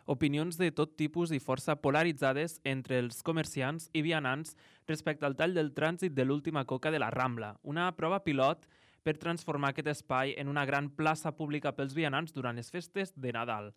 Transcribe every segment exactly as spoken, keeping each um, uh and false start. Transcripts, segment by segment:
Opinions de tot tipus i força polaritzades entre els comerciants i vianants respecte al tall del trànsit de l'última coca de la Rambla, una prova pilot per transformar aquest espai en una gran plaça pública pels vianants durant les festes de Nadal.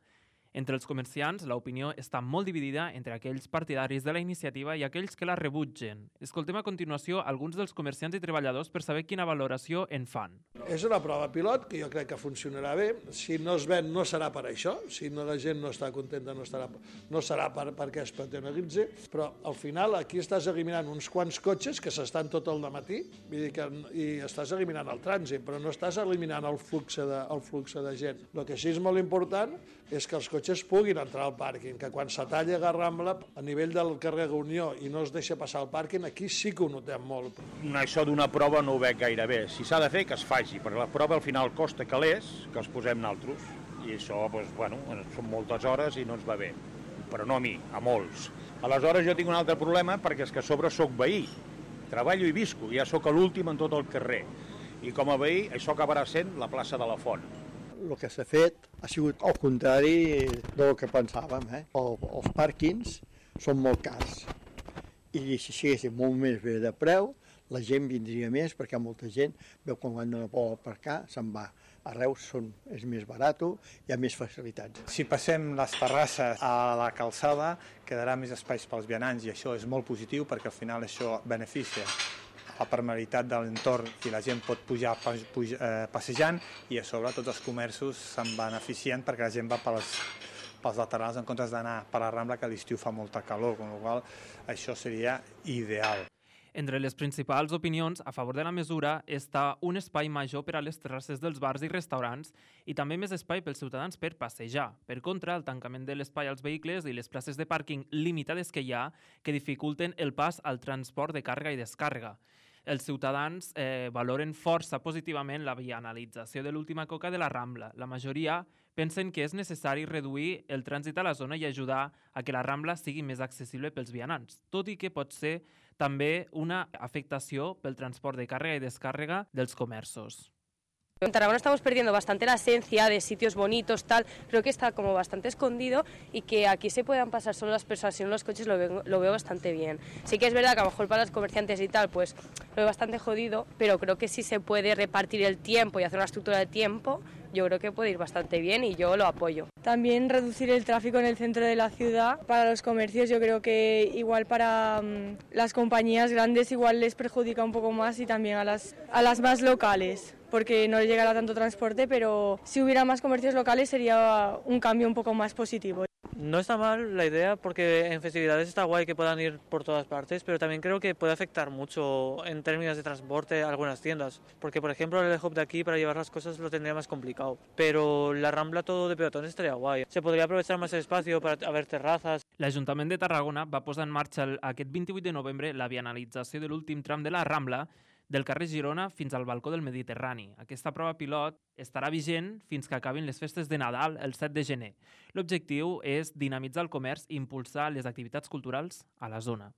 Entre els comerciants, l'opinió està molt dividida entre aquells partidaris de la iniciativa i aquells que la rebutgen. Escoltem a continuació alguns dels comerciants i treballadors per saber quina valoració en fan. És una prova pilot que jo crec que funcionarà bé. Si no es ven, no serà per això. Si no, la gent no està contenta, no, estarà, no serà per, perquè es paternalitzi. Però al final aquí estàs eliminant uns quants cotxes que s'estan tot el dematí vull dir que, i estàs eliminant el trànsit, però no estàs eliminant el flux de, el flux de gent. El que sí és molt important és que els cotxes puguin entrar al pàrquing, que quan se talla la Rambla a nivell del carrer Unió i no es deixa passar el pàrquing, aquí sí que ho notem molt. Això d'una prova no ho veig gaire bé. Si s'ha de fer, que es faci, perquè la prova al final costa calés que els posem naltros. I això, doncs, bueno, són moltes hores i no ens va bé. Però no a mi, a molts. Aleshores jo tinc un altre problema perquè és que a sobre soc veí. Treballo i visco, ja sóc l'últim en tot el carrer. I com a veí, això acabarà sent la plaça de la Font. El que s'ha fet ha sigut al contrari del que pensàvem. Eh? El, els pàrquings són molt cars i si siguessin molt més bé de preu, la gent vindria més perquè molta gent veu quan no vol aparcar, se'n va. A Reus són, és més barat, hi ha més facilitats. Si passem les terrasses a la calçada, quedarà més espais pels vianants i això és molt positiu perquè al final això beneficia la permeabilitat de l'entorn i la gent pot pujar, pujar eh, passejant i a sobre tots els comerços se'n beneficien perquè la gent va pels, pels laterals en comptes d'anar per la Rambla que a l'estiu fa molta calor, amb la qual cosa això seria ideal. Entre les principals opinions a favor de la mesura està un espai major per a les terrasses dels bars i restaurants i també més espai pels ciutadans per passejar. Per contra, el tancament de l'espai als vehicles i les places de pàrquing limitades que hi ha que dificulten el pas al transport de càrrega i descàrrega. Els ciutadans eh, valoren força positivament la vianalització de l'última coca de la Rambla. La majoria pensen que és necessari reduir el trànsit a la zona i ajudar a que la Rambla sigui més accessible pels vianants, tot i que pot ser també una afectació pel transport de càrrega i descàrrega dels comerços. En Tarragona estamos perdiendo bastante la esencia de sitios bonitos, tal, creo que está como bastante escondido y que aquí se puedan pasar solo las personas y no los coches lo veo, lo veo bastante bien. Sí que es verdad que a lo mejor para los comerciantes y tal, pues lo veo bastante jodido, pero creo que si se puede repartir el tiempo y hacer una estructura de tiempo, yo creo que puede ir bastante bien y yo lo apoyo. También reducir el tráfico en el centro de la ciudad. Para los comercios yo creo que igual para um, las compañías grandes igual les perjudica un poco más y también a las, a las más locales, porque no llegará tanto transporte, pero si hubiera más comercios locales sería un cambio un poco más positivo. No está mal la idea porque en festividades está guay que puedan ir por todas partes, pero también creo que puede afectar mucho en términos de transporte a algunas tiendas, porque por ejemplo el hub de aquí para llevar las cosas lo tendría más complicado, pero la Rambla todo de peatones estaría guay. Se podría aprovechar más el espacio para haver terrazas. L'Ajuntament de Tarragona va posar en marxa aquest vint-i-vuit de novembre la vianalització de l'últim tram de la Rambla del carrer Girona fins al balcó del Mediterrani. Aquesta prova pilot estarà vigent fins que acabin les festes de Nadal el set de gener. L'objectiu és dinamitzar el comerç i impulsar les activitats culturals a la zona.